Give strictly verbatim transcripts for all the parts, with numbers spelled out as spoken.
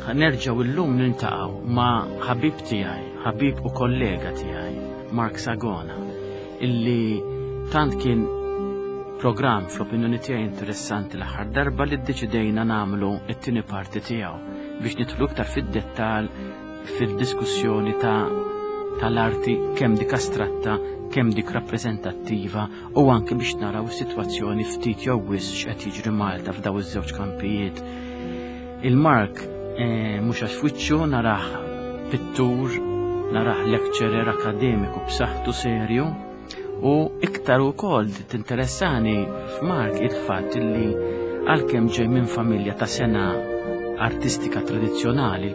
Nerġgħu illum niltaqgħu ma' ħabib tiegħi, ħabib u kollega tiegħi, Mark Sagona, illi tant kien programm fl-opinjoni tiegħi interessanti l-aħħar darba li ddeċidejna nagħmlu t-tieni parti tiegħu biex nidħlu iktar fid-dettall fid-diskussjoni ta' tal-arti kemm dik astratta, kemm dik rappreżentattiva u anke biex naraw is-sitwazzjoni ftit jew wisq x'qed jiġri Malta f'daw iż-żewġ kampijiet. Il-Mark eh, mhux għax f'wiċċu narah pittur, narah lecturer akademiku b'saħħtu serju u iktar ukoll tinteressani f'Mark il-fatt li għalkemm ġej minn familja ta' sena artistika tradizzjonali,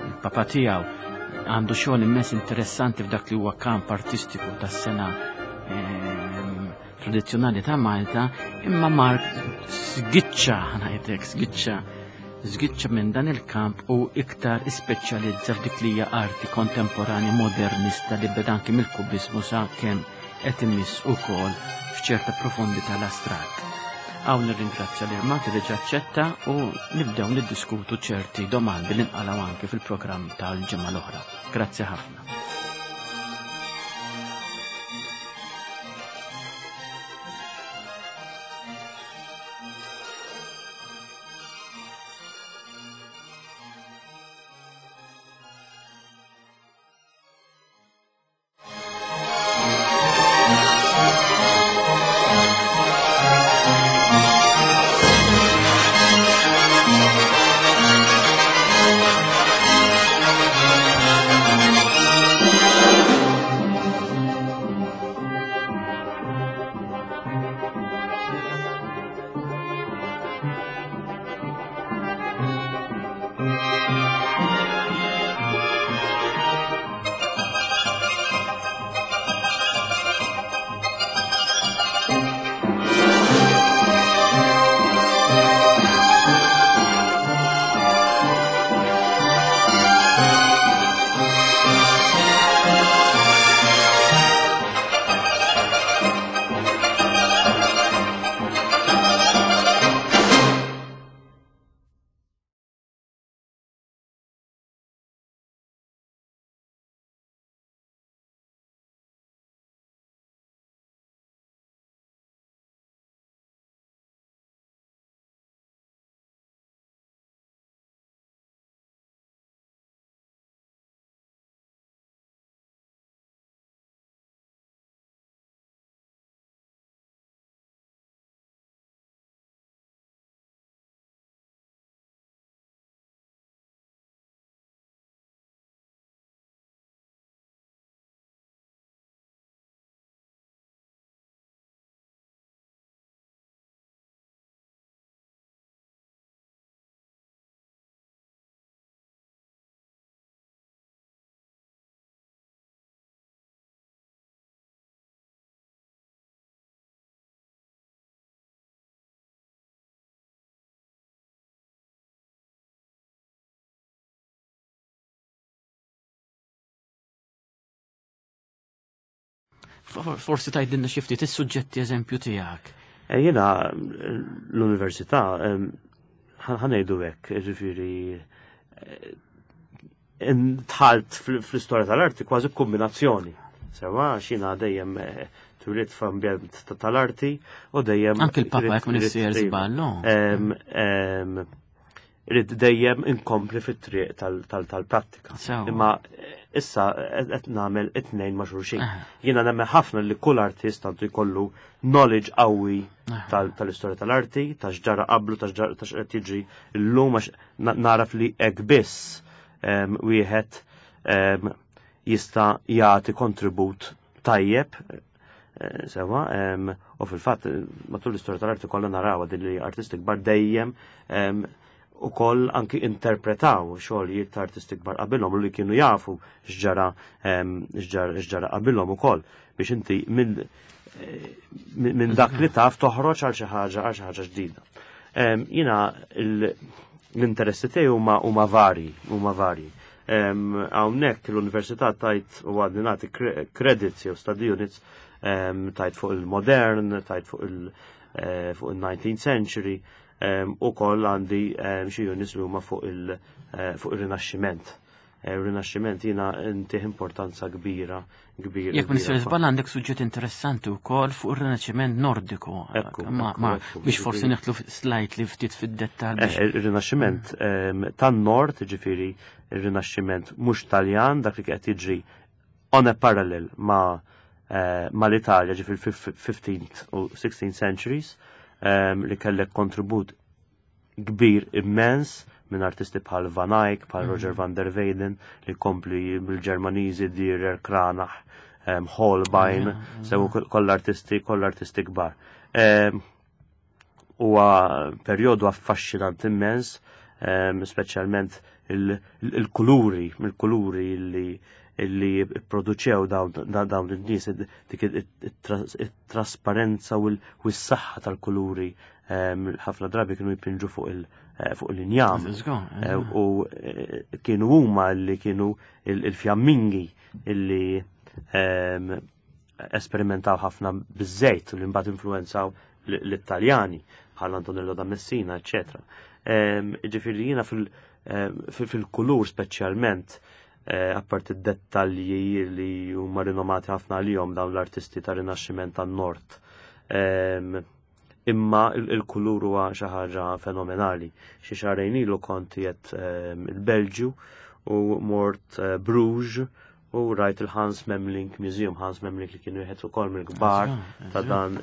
il-papa tiegħu għandu xogħol immens interessanti f'dak li huwa kamp artistiku tas-sena ehm, tradizzjonali ta' Malta, imma Mark sgiċċa, ngħidlek, sgiċċa, sgiċċa minn dan il-kamp u iktar ispeċjalizza f'dik li hija arti kontemporanja modernista li beda anki mill-kubismu sa kemm qed imiss ukoll f'ċerta profondità l-astratt. Hawn nirringrazzja lil Mark li diġà aċċetta u nibdew niddiskutu ċerti domandi li nqalgħu anke fil-programm tal-ġimgħa l-oħra. Grazzi ħafna. Forsi tgħidilna xi ftit is-suġġetti eżempju tiegħek. Eh, jiena l-università ħa ngħidu hekk, ġifieri eh, dħalt fl-istorja tal-arti kważi kombinazzjoni. Sewa, xina dejjem eh, twelidt f'ambjent tal-arti u dejjem. Anke l-papa jekk m'iniex żball, no? Ridt dejjem inkompli fit-triq tal-prattika. Imma issa qed nagħmel it-tnejn ma' xulxin. Jiena nemmen ħafna li kull artist għandu jkollu knowledge qawwi tal-istorja tal-arti, ta' x'ġara qablu, ta' x'qed jiġri llum għax naraf li hekk biss wieħed jista' jagħti kontribut tajjeb eh, sewa, u fil-fatt matul l-istorja tal-arti kollha naraw din li artisti kbar dejjem u koll anki interpretaw xogħlijiet ta' artisti kbar qabilhom u li kienu jafu x'ġara x'ġara qabilhom ukoll biex inti minn min dak li taf toħroġ għal xi ħaġa għal xi ħaġa ġdida. Jiena l-interessi tiegħi huma huma varji, huma varji. Hawnhekk l-università tajt u għadni nagħti credits jew study units tajt fuq il-modern, tajt fuq il- eh, fuq il-nineteenth century, Ukoll għandi xi units li huma fuq il-Rinaxximent. Il-Rinaxximent jiena ntih importanza kbira, kbira. Jekk ma nistax żball għandek suġġett interessanti wkoll fuq ir-Rinaxximent Nordiku. Biex forsi neħtlu slightly ftit fid-dettall. Ir-Rinaxximent tan-Nord, ġifieri ir-Rinaxximent mhux Taljan, dak li qed jiġri on a parallel ma' mal-Italja, ġifieri fifteenth u sixteenth centuries, li kellek kontribut kbir immens minn artisti bħal Van Eyck, bħal Roger van der Weyden, li kompli bil-Ġermaniżi, Dürer, Cranach, Holbein, sew koll artisti, koll artisti kbar. Huwa perjodu affaxxinant immens, speċjalment il-kuluri, il-kuluri li li produċew dawn in-nies, dik it-trasparenza u s-saħħa tal-kuluri ħafna drabi kienu jpinġu fuq il- fuq l-injam. U kienu huma li kienu il-fjammingi illi esperimentaw ħafna biż-żejt u li mbagħad influenzaw l-Italjani bħal Antonello da Messina, eċċetera. Ġifieri jiena fil-kulur speċjalment, apparti d-dettalji li huma rinomati ħafna għalihom dawn l-artisti ta' Rinaxximent tan-Nord. Imma il-kulur huwa xi ħaġa fenomenali. Xi xahrejn ilu kont qiegħed il-Belġju u mort Bruges u rajt il-Hans Memling Museum. Hans Memling li kienu wieħed ukoll mill-kbar ta' dan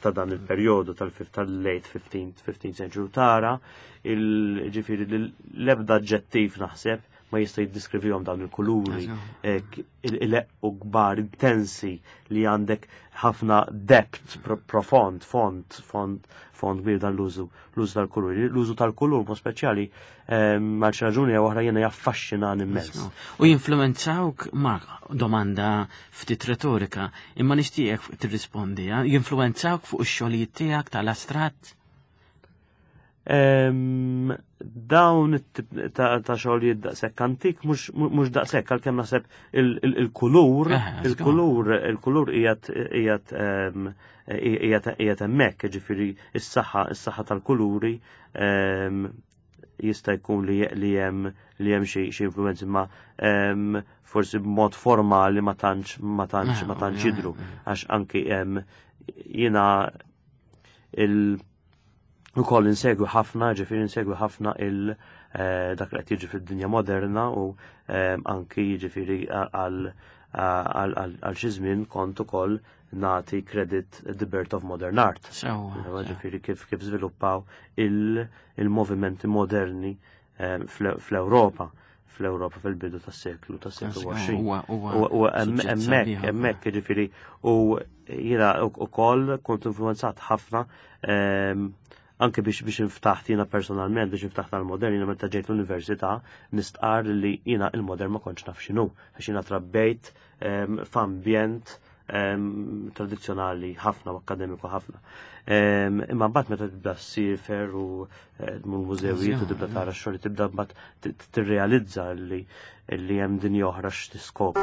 ta' dan il-perjodu tal-late fifteenth century. Tara il-ġifieri l-ebda aġġettiv naħseb ma jista' jiddiskrivihom dawn il-kuluri il-leq u kbar intensi li għandek ħafna depth profond, font, font, font kbir dan l-użu, l-użu tal-kuluri. L-użu tal-kulur mod speċjali għal xi raġuni jew oħra jiena jaffaxxinani immens. U jinfluwenzawk, Mark, domanda ftit retorika, imma nixtieqek tirrispondi, jinfluwenzawk fuq ix-xogħlijiet tiegħek tal-astratt? Dawn ta' xogħlijiet daqshekk antik mhux daqshekk, għalkemm naħseb il-kulur, il-kulur, il-kulur qiegħed qiegħed hemmhekk, ġifieri is-saħħa, is-saħħa tal-kuluri jista' jkun li hemm li hemm xi influenzi, ma forsi b'mod formali ma tantx ma tantx ma tantx jidhru, għax anki jiena il ukoll insegwi ħafna, ġifieri insegwi ħafna il dak li qed jiġi fid-dinja moderna u anki ġifieri għal xi żmien kont ukoll nagħti credit the birth of modern art. Ġifieri kif kif żviluppaw il-movimenti moderni fl-Ewropa, fl-Ewropa fil-bidu tas-seklu tas-seklu għoxrin. U hemmhekk hemmhekk ġifieri u jiena ukoll kont influenzat ħafna anke biex biex inftaħt jiena personalment, biex inftaħt għal-modern, jiena meta ġejt l-università nistqar li jiena il-modern ma kontx naf x'inhu, għax jiena trabbejt f'ambjent tradizzjonali ħafna u akademiku ħafna. Imma mbagħad meta tibda ssifer u tmur mużewijiet u tibda tara x-xogħol, tibda mbagħad tirrealizza li hemm dinja oħra x'tiskopri.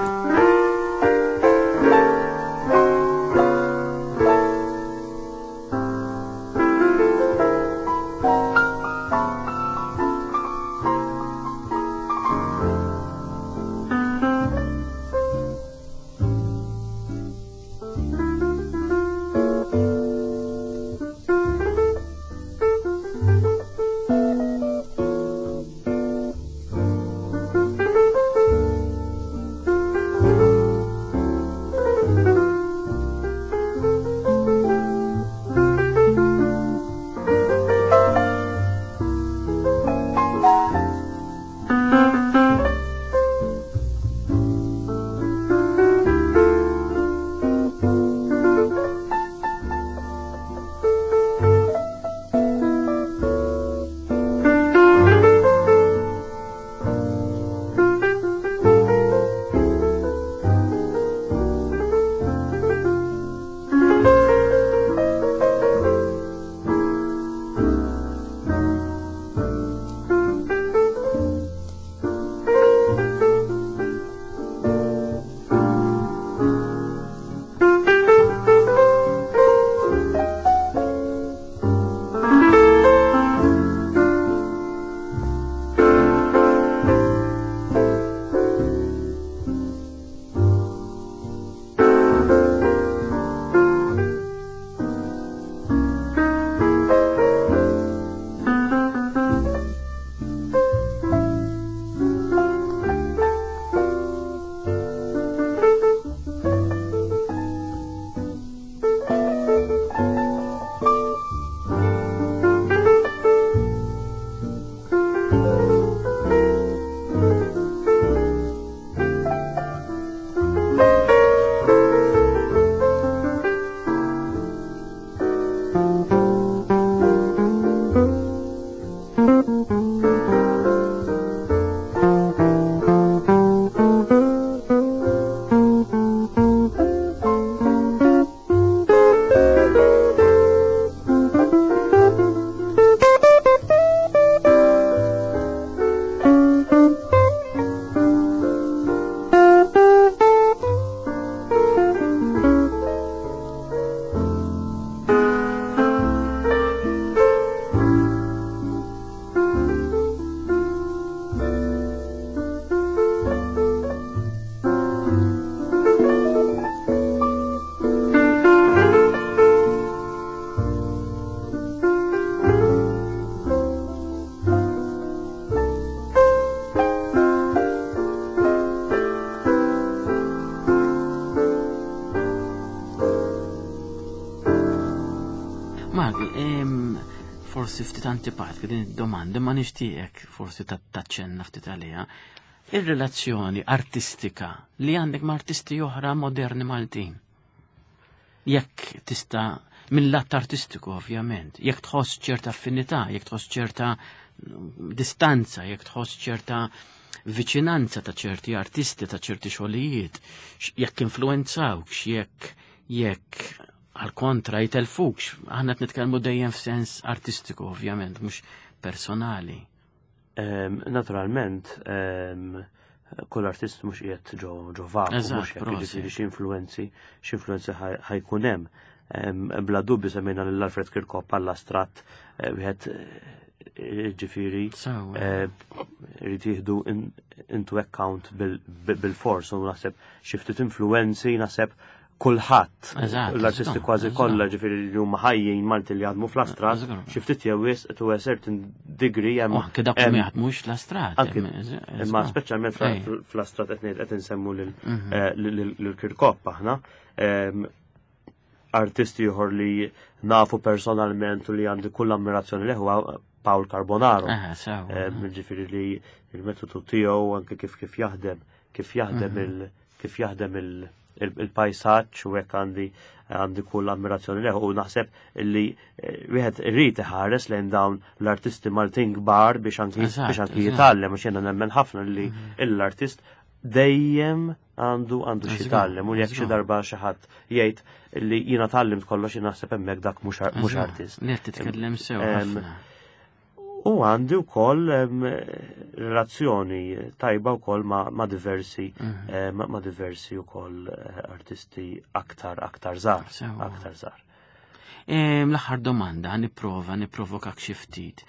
Forsi ftit antipatika din id-domanda, ma nixtieqek forsi taċċenna ftit għaliha. Ir-relazzjoni artistika li għandek ma' artisti oħra moderni Maltin. Jekk tista' mill-lat artistiku ovvjament, jekk tħoss ċerta affinità, jekk tħoss ċerta distanza, jekk tħoss ċerta viċinanza ta' ċerti artisti, ta' ċerti xogħlijiet, jekk influenzawk, jekk jekk għal kontra jitelfukx, aħna qed nitkellmu dejjem f'sens artistiku ovvjament, mhux personali. Um, naturalment, um, kull artist mhux qiegħed ġo ġo vaku, mhux hekk, jiġifieri xi influenzi, xi influenzi ħajkun hemm. Um, bla dubju semmejna lil Alfred Kirkop għall-astratt, wieħed ġifieri irid jieħdu into account bil-fors, u naħseb xi ftit influenzi, naħseb kulħadd, l-artisti kważi kollha ġifieri li huma ħajjin Malti li jaħdmu fl-astrat, xi ftit jew wisq to a certain degree hemm. Anke dawk li ma jaħdmux fl-astrat. Imma speċjalment fl-astrat qed ngħid qed insemmu lil Kirkop aħna. Artisti ieħor li nafu personalment u li għandi kull ammirazzjoni li huwa Paul Carbonaro. Ġifieri li l-metodu tiegħu anke kif kif jaħdem, kif jaħdem il kif jaħdem il il-pajsaġġ u hekk għandi għandi kull ammirazzjoni leħu, u naħseb li wieħed irid iħares lejn dawn l-artisti Maltin kbar biex anki biex anki jitgħallem, għax jiena nemmen ħafna li l-artist dejjem għandu għandu xi jitgħallem, u jekk xi darba xi ħadd jgħid li jiena tgħallimt kollox, jien naħseb hemmhekk dak mhux artist. Li qed titkellem sew ħafna. U għandi wkoll relazzjoni tajba wkoll ma' diversi ma' diversi wkoll artisti aktar aktar żgħar, aktar żgħar. L-aħħar domanda, nipprova nipprovokak xi ftit.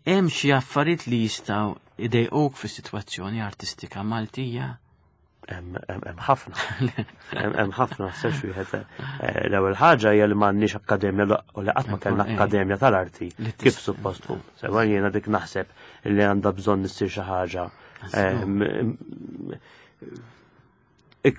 Hemm xi affarijiet li jistgħu idejquk fis-sitwazzjoni artistika Maltija? Hemm ħafna. Hemm ħafna sex wieħed. L-ewwel ħaġa hija li m'għandniex akkademja u li qatt ma kellna akkademja tal-arti kif suppost tkun. Sewa jiena dik naħseb li għandha bżonn issir xi ħaġa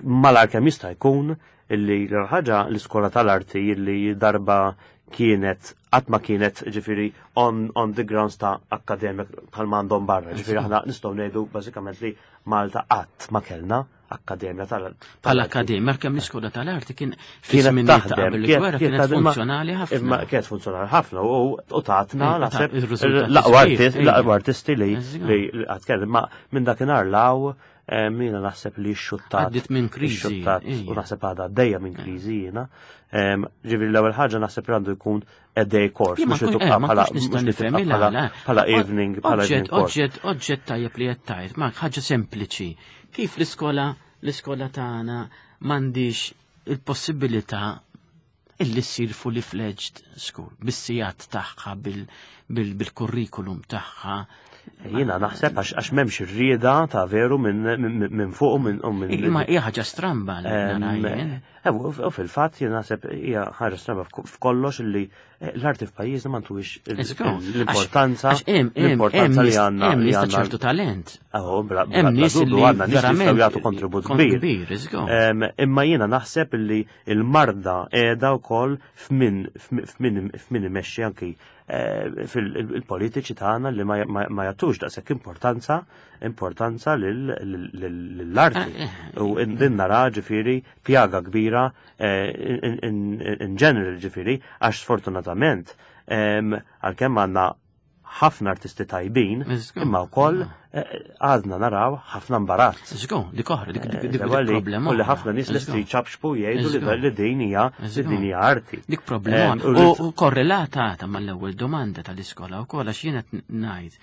malar kemm jista' jkun, illi l-ħaġa l-iskola tal-arti illi darba kienet qatt ma kienet ġifieri on, on the grounds ta' akkademja bħal m'għandhom barra. Ġifieri aħna nistgħu ngħidu bażikament li Malta qatt ma kellna akkademja tal-arti. Bħala akkademja, kemm l-iskola tal-arti kien fi żmien ta' qabel il-gwerra kienet funzjonali ħafna. Imma kienet funzjonali ħafna u tatna naħseb l-aqwa artisti li li qatt kellna, ma minn dakinhar law jiena naħseb li x-xuttat. Għaddit minn kriżi. U naħseb għadha għaddejja minn kriżi jiena. Ġifieri l-ewwel ħaġa naħseb li għandu jkun a day course, mhux li tibqa' bħala bħala evening bħala evening course. Oġġett oġġett tajjeb li qed tgħid, ma ħaġa sempliċi. Kif l-iskola l-iskola tagħna m'għandix il-possibilità illi ssir fully fledged school, bis-sigħat tagħha, bil-kurrikulum tagħha. Jiena naħseb għax m'hemmx ir-rieda ta' veru minn fuq u minn minn. Imma hija ħaġa stramba li nara jien. U fil-fatt jiena naħseb hija ħaġa stramba f'kollox illi eh, l-arti f'pajjiżna ma ntuwix l-importanza l-importanza li għandna hemm nies ta' ċertu talent. Hemm nies li għandna nies li jistgħu jagħtu kontribut kbir. Imma jiena naħseb li l-marda qiegħda wkoll f'min f'min imexxi anki fil-politiċi tagħna li ma jagħtux daqshekk importanza importanza lill-arti. U din nara ġifieri pjaga kbira in general ġifieri għax sfortunatament għalkemm għandna ħafna artisti tajbin, imma wkoll għadna naraw ħafna imbarazz. Żgur, dik oħra, dik problema. U li ħafna nies lesti jċapxpu jgħidu li din hija li din hija arti. Dik problema. U korrelata mal-ewwel domanda tal-iskola wkoll għax jien qed ngħid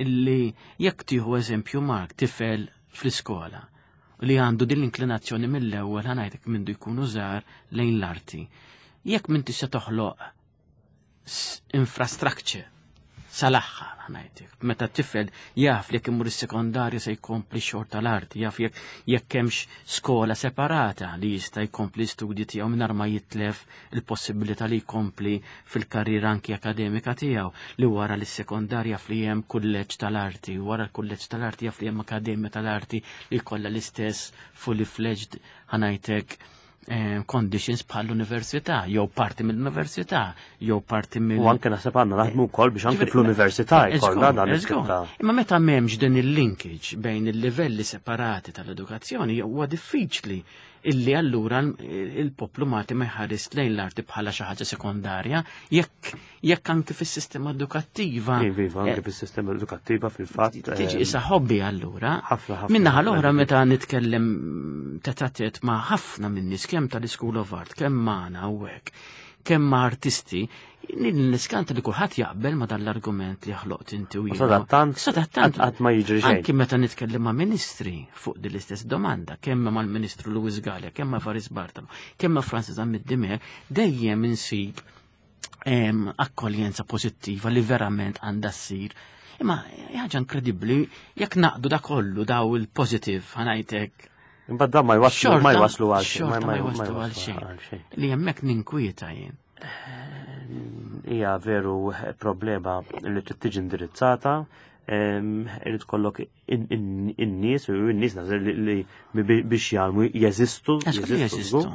illi jekk tieħu eżempju Mark tifel fl-iskola li għandu din l-inklinazzjoni mill-ewwel ħa ngħidlek mindu jkunu żgħar lejn l-arti. Jekk m'intix se toħloq infrastructure sal-aħħar ngħidlek. Meta tifel jaf li jekk imur is-sekondarju se jkompli xogħol tal-arti, jaf jekk jekk hemmx skola separata li jista' jkompli studji tiegħu mingħajr ma jitlef il-possibilità li jkompli fil-karriera anki akademika tiegħu, li wara li s-sekondarja jaf li hemm kulleġġ tal-arti, wara l-kulleġġ tal-arti jaf li hemm akademja tal-arti li jkollha l-istess fully fledged ħa ngħidlek conditions bħal l-università, jew parti mill-università, jew parti mill. U anke naħseb għandna naħdmu wkoll biex anke fl-università jkollna dan it-tip ta' Imma meta m'hemmx din il-linkage bejn il-livelli separati tal-edukazzjoni huwa diffiċli illi allura il-poplu Malti ma jħares lejn l-arti bħala xi ħaġa sekondarja jekk jekk anke fis-sistema edukattiva. Iva, iva, anke fis-sistema edukattiva fil-fatt. Tiġi issa hobby allura. Ħafna, ħafna. Min-naħa l-oħra meta nitkellem tête-à-tête ma' ħafna minn nies kemm tal-School of Art, kemm magħna u hekk, kemm ma' artisti, niskanta li kulħadd jaqbel ma' dan l-argument li ħloqt inti u U jien. Sadattant, Sadattant, qatt ma jiġri xejn. Anki meta nitkellem ma' ministri fuq din l-istess domanda, kemm mal-Ministru Louis Galea, kemm ma' Evarist Bartolo, kemm ma' Francis Zammit Dimech, dejjem insib em, akkoljenza pożittiva li verament għandha ssir. Imma ħaġa inkredibbli jekk naqdu da kollu daw il-positive ħa ngħidlek Imbagħad dan ma jwaslu ma jwaslu għal xejn. xorta ma jwaslu għal xejn. Li hemmhekk ninkwieta jien. Hija veru problema li trid tiġi indirizzata, irid kollok in-nies u n-nies naħseb li biex jgħalmu jeżistu, Jeżistu. jeżistu.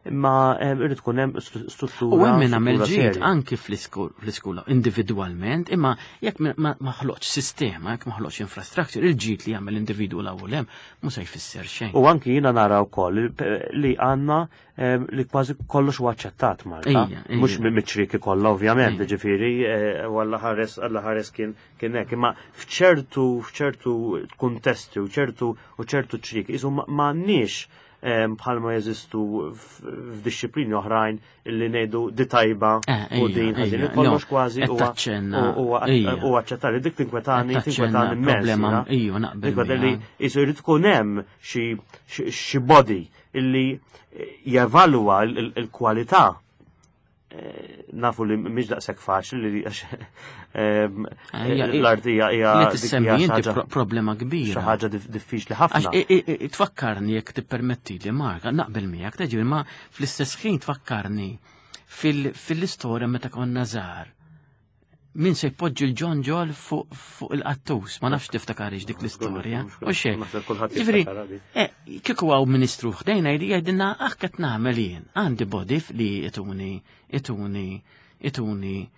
Imma irid tkun hemm struttura. U hemm min għamel struttura ġid serja. anki fl-iskola individwalment, imma jekk ma ħloqx sistema, jekk ma ħloqx infrastructure, il-ġid li jagħmel individwu l-ewwel hemm mhux se jfisser xejn. U anki jiena nara wkoll li għandna li kważi kollox huwa aċċettat Malta. Ejja, ejja. Mhux miċ-ċrieki kollha ovvjament, Ejja. ġifieri, u Alla ħares Alla ħares kien kien hekk, imma f'ċertu f'ċertu kuntesti u ċertu u ċertu ċrieki qisu m'għandniex bħalma jeżistu f'dixxiplini oħrajn illi ngħidu di tajba Eh, u ejja, din ħażin. ejja, Kollox no, kważi qed huwa taċċenna, huwa ejja. huwa aċċettali. Dik tinkwetani, Qed taċċenna tinkwetani immens. problema, jiena. ejja, naqbel Tinkwetani li miegħek. jisu jrid tkun hemm xi xi body illi jevalwa il-kwalità. Nafu li mhix daqshekk faċli li għax Ejja, l-arti hija hija Li dik tissemmi hija xi inti ħaġa- pro- problema kbira. xi ħaġa dif- diffiċli ħafna. Għax i- i- i- tfakkarni jekk tippermetti li Mark, naqbel miegħek teġi ma fl-istess ħin tfakkarni fil- fil-istorja meta konna żgħar. Min se jpoġġi l-ġonġol fuq fuq il-qattus, ma nafx tiftakarix dik l-istorja. U xejn. Naħseb kulħadd Ġifieri, jiftakar di. eh, kieku hawn ministru ħdejna jgħid jgħidilna aħ qed nagħmel jien. Għandi body li ituni ituni ituni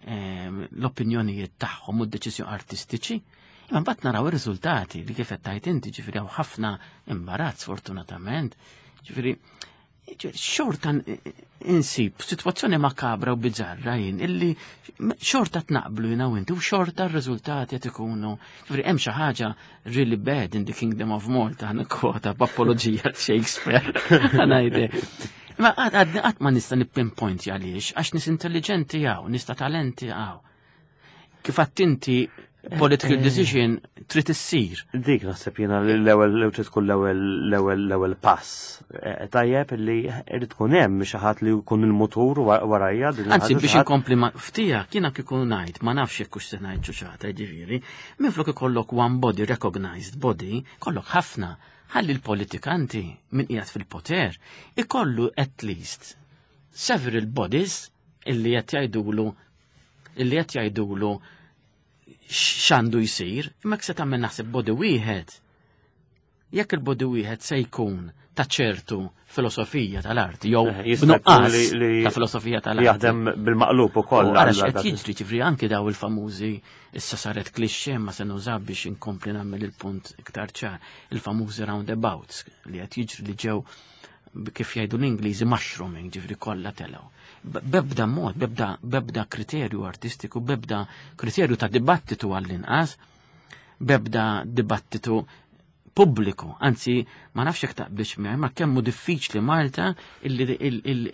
ehm, l-opinjonijiet tagħhom u d-deċiżjoni artistiċi. Imma mbagħad naraw ir-riżultati li kif qed tgħid inti, ġifieri hawn ħafna imbarazz fortunatament. Ġifieri ġifieri, xorta insib sitwazzjoni makabra u bizzarra jien illi xorta tnaqblu jiena u inti u xorta r-riżultati qed ikunu. Ġifieri hemm xi ħaġa really bad in the Kingdom of Malta, kwota b'apologija Shakespeare. Ħa ngħidlek. Ma qatt qatt ma nista' nippinpoint għaliex, għax nies intelligenti hawn, nies ta' talenti hawn. Kif għedt inti political decision trid issir. Dik naħseb jiena li l-ewwel l trid tkun l-ewwel l-ewwel l-ewwel pass. Eh, Tajjeb li irid tkun hemm xi ħadd li jkun il-mutur wa- warajja din Anzi, il-ħaġa, biex xi ħadd- inkompli ma ftija, kiena kieku ngħid, ma nafx jekk hux se ngħid ċuċata, ġifieri, minflok ikollok one body, recognized body, kollok ħafna. Ħalli l-politikanti min qiegħed fil-poter ikollu at least several bodies illi qed jgħidulu illi qed jgħidulu x'għandu jsir, imma se tagħmel naħseb body wieħed. Jekk il-body wieħed se jkun ta' ċertu filosofija tal-arti, jew Eh, jista' jkun b'nuqqas li- li- ta' filosofija Li tal-arti. jaħdem bil-maqlub ukoll. U Ara għal- x'qed jiġri ġifri anki daw il-famużi issa saret cliché ma se nuża biex inkompli nagħmel il-punt iktar ċar, il-famużi roundabouts li qed jiġri li ġew kif jgħidu l-Ingliżi mushrooming, ġifri kollha telgħu. Bebda mod, bebda, bebda kriterju artistiku, bebda kriterju ta' dibattitu għall-inqas, bebda dibattitu pubbliku, anzi ma nafx jekk taqbilx miegħi, ma kemm hu diffiċli Malta illi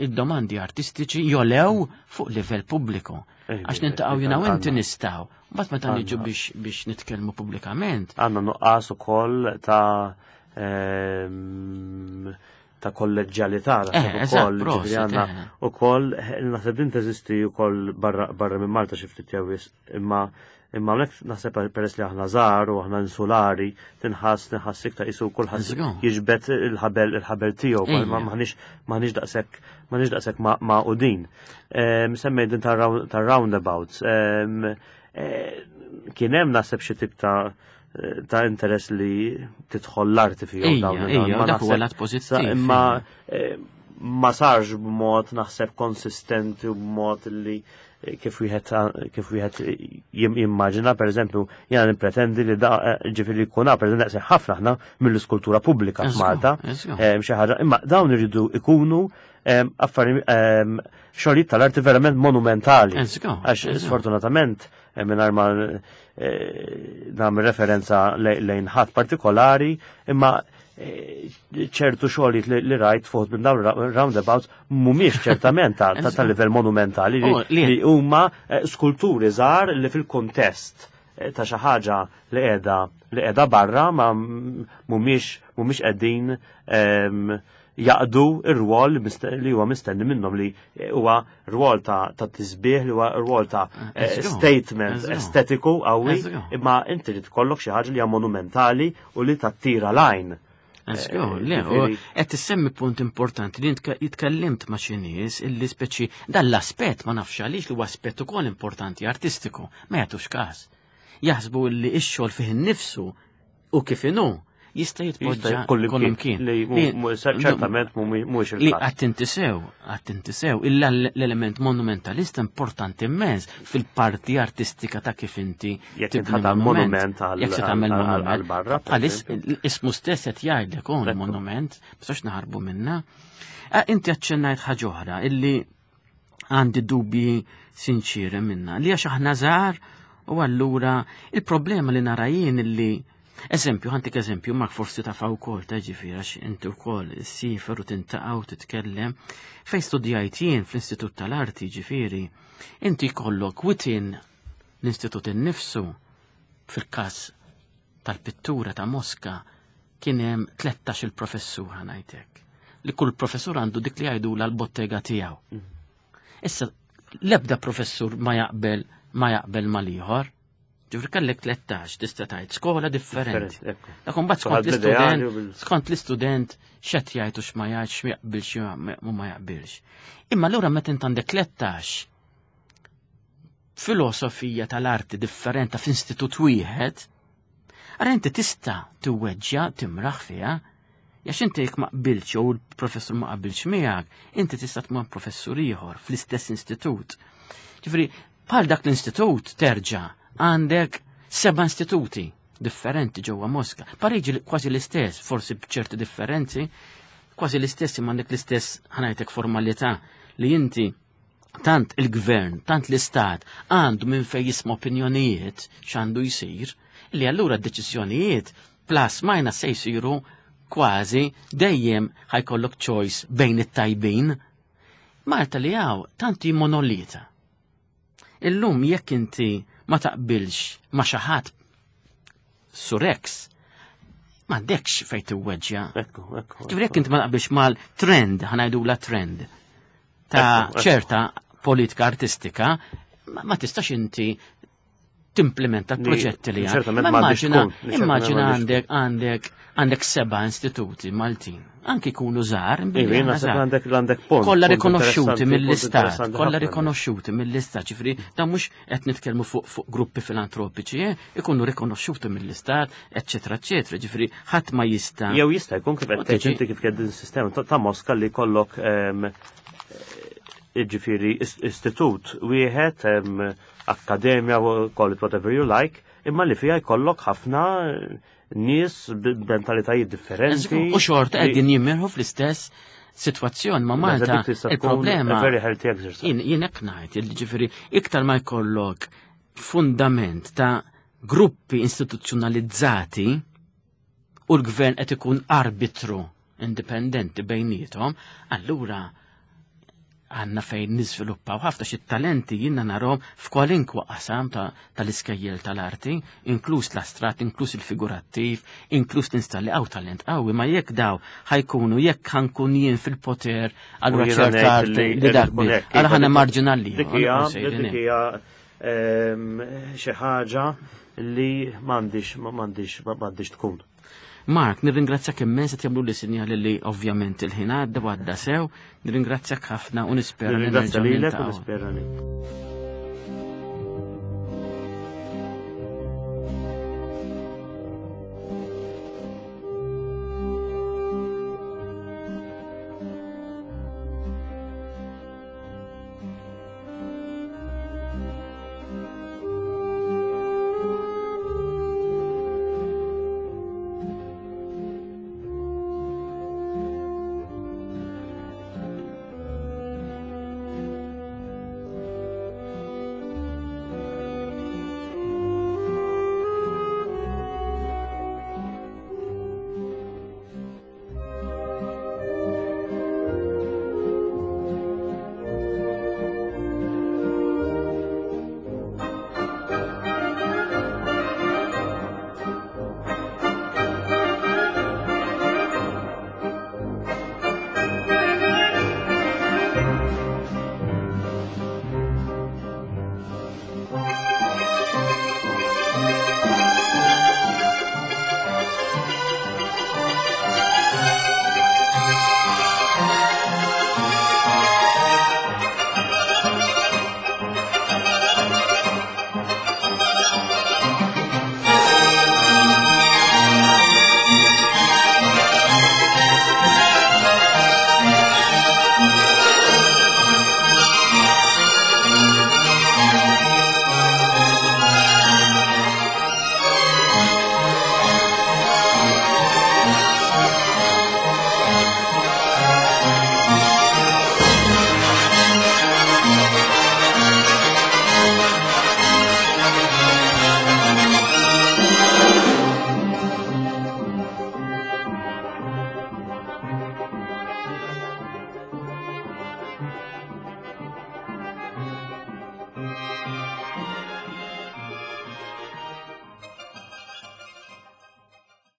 il-domandi artistiċi jolew fuq livell pubbliku. Eh, Għax nintaqgħu jiena u inti għandna- nistgħu. Mbagħad meta niġu Għandna. biex biex nitkellmu pubblikament, Għandna nuqqas ukoll ta' ehm, ta' kolleġġjalità Eh, naħseb eżatt, ukoll, ġifieri prosit, għandna eh. ukoll naħseb din teżisti wkoll barra barra minn Malta xi ftit jew wisq, imma imma hawnhekk naħseb peress li aħna żgħar u aħna insulari tinħass tinħass iktar isu kulħadd Żgur. jiġbed il-ħabel il-ħabel tiegħu ma Ejja. maħniex maħniex daqshekk maħniex daqshekk ma' magħqudin. Ehm, Semmejt din tar-roundabouts. Ehm, eh, Kien hemm naħseb xi tip ta' ta' interess li tidħol l-arti fihom Ejja, dawn ejja, ma dak huwa naħseb- lat pożittiv, sa- Imma ejja. eh, ma sarx b'mod naħseb konsistenti u b'mod li eh, kif wieħed kif wieħed jim- jimmaġina, per eżempju, jiena nippretendi li da eh, ġifieri jkun hawn, per eżempju, daqshekk ħafna aħna mill-iskultura pubblika Eżgur, f'Malta. eżgur. Eh, xi ħaġa, imma dawn iridu ikunu em, affari em, xogħlijiet tal-arti verament monumentali. Eżgur, Għax eżgur. sfortunatament eh, mingħajr ma eh, nagħmel referenza le- lejn ħadd partikolari, imma eh, ċertu xogħlijiet li, li rajt fuq minn dawn ra- roundabouts mhumiex ċertament ta' ta' ta' livell monumentali li, Oh, li- li huma eh, skulturi żgħar li fil-kuntest eh, ta' xi ħaġa li qiegħda li qiegħda barra ma mhumiex mhumiex qegħdin em, jaqdu ir-rwol li mist- li huwa mistenni minnhom li huwa rwol ta' ta' tisbieħ li huwa rwol ta' eh, Eżgur, statement eżgur. estetiku qawwi Eżgur. imma inti li tkollok xi ħaġa li hija monumentali u li tattira l-għajn. Eżgur, Eh, le, u ġifieri- qed issemmi punt importanti li intka- jitkellimt ma' xi nies illi speċi dan l-aspett ma nafx għaliex li huwa aspett ukoll importanti artistiku, ma jagħtux każ. Jaħsbu li x-xogħol fih innifsu u kif inhu jista' jitpoġġa Jista' kullimkien. Li mu- mu- ċertament mhuwiex Li il-każ. attenti sew, attenti sew, illa l-element monumentalista importanti immens fil-parti artistika ta' kif inti Jekk tibni inti tagħmel monument għal- Jekk se tagħmel għal- monument. għal barra, per Bħal is- eżempju. ismu stess qed jgħidlek hawn Ekku. monument, biex naħarbu minna. Eh, Inti aċċennajt ħaġa oħra illi għandi dubji sinċiri minna. Li għax aħna żgħar u allura il-problema li nara jien illi Eżempju, ħa ntik eżempju, Mark forsi tafa wkoll ta' ġifieri għax inti wkoll issiefer u tintaqa' u titkellem. Fejn studjajt jien fl-Istitut tal-Arti ġifieri, inti jkollok within l-istitut innifsu fil-każ tal-pittura ta' Mosca kien hemm tlettax il-professur ħa ngħidlek. Li kull professur għandu dik li jgħidu l-bottega tiegħu. Issa l-ebda professur ma jaqbel ma jaqbel mal-ieħor. Ġifri kellek tlettax tista' tgħid skola differenti. Differenti, ekku. Dak imbagħad skont Kulħadd bl-ideali l-istudent, u bil- skont l-istudent x'qed jgħid u x'ma jgħidx, x'jaqbilx u ma jaqbilx. Imma allura meta int għandek tlettax filosofija tal-arti differenta f'istitut wieħed, ara inti tista' tiweġġja timraħ fiha, għax inti jekk ma qbilx jew il-professur ma qabilx miegħek, inti tista' tmur professur ieħor fl-istess istitut. Ġifieri, bħal dak l-istitut terġa' għandek seba' istituti differenti ġewwa Mosca. Pariġi kważi l-istess, forsi b'ċerti differenzi, kważi l-istess imma għandek l-istess ħa ngħidlek formalità li inti tant il-gvern, tant l-istat għandu minn fej jisma' opinjonijiet x'għandu jsir, li allura d-deċiżjonijiet plus minus se jsiru kważi dejjem ħa jkollok choice bejn it-tajbin. Malta li hawn tanti monolita. Illum jekk inti ma taqbilx ma xi ħadd surex, m'għandekx fejn tiweġġja. Ekku, ekku. Ġifieri jekk inti ma taqbilx mal-trend, ħa ngħidula trend, ta' Ekku, ekku. ċerta politika artistika, ma, ma tistax inti timplementa proġetti li għandek. Immaġina, immaġina għandek għandek għandek seba' istituti Maltin, anki jkunu żgħar, għandek għandek punt. Kollha rikonoxxuti mill-istat, kollha rikonoxxuti mill-istat, ġifieri dan mhux qed nitkellmu fuq fuq gruppi filantropiċi, eh, ikunu rikonoxxuti mill-istat, eċċetera, eċċetera, ġifieri ħadd ma jista'. Jew jista' jkun kif qed tgħid inti kif din sistema ta' Moska li jkollok ġifieri istitut wieħed, akkademja, call it whatever you like, imma li fija jkollok ħafna nies b'mentalitajiet differenti. U xorta qegħdin jimmirħu fl-istess sitwazzjoni ma' Malta. Il-problema. Very healthy exercise. Jien hekk ngħid, ġifieri iktar ma jkollok fundament ta' gruppi istituzzjonalizzati u l-gvern qed ikun arbitru indipendenti bejniethom, allura għanna fejn niżviluppaw ħafna xi talenti jiena narhom f'kwalinkwa qasam tal-iskejjel tal-arti, inkluż l-astrat, inkluż il-figurattiv, inkluż l-installi għaw talent qawwi, ma jekk daw ħa jkunu jekk ħa nkun jien fil-poter, allura ċerta arti li dak allura ħana marġinali. Dik hija xi ħaġa li m'għandix m'għandix m'għandix tkun. Mark, nirringrazzjak immens, qed jagħmlu li sinjali li ovvjament il-ħin għadda u għadda sew, nirringrazzjak ħafna u nispera li Nirringrazzja lilek u nispera li.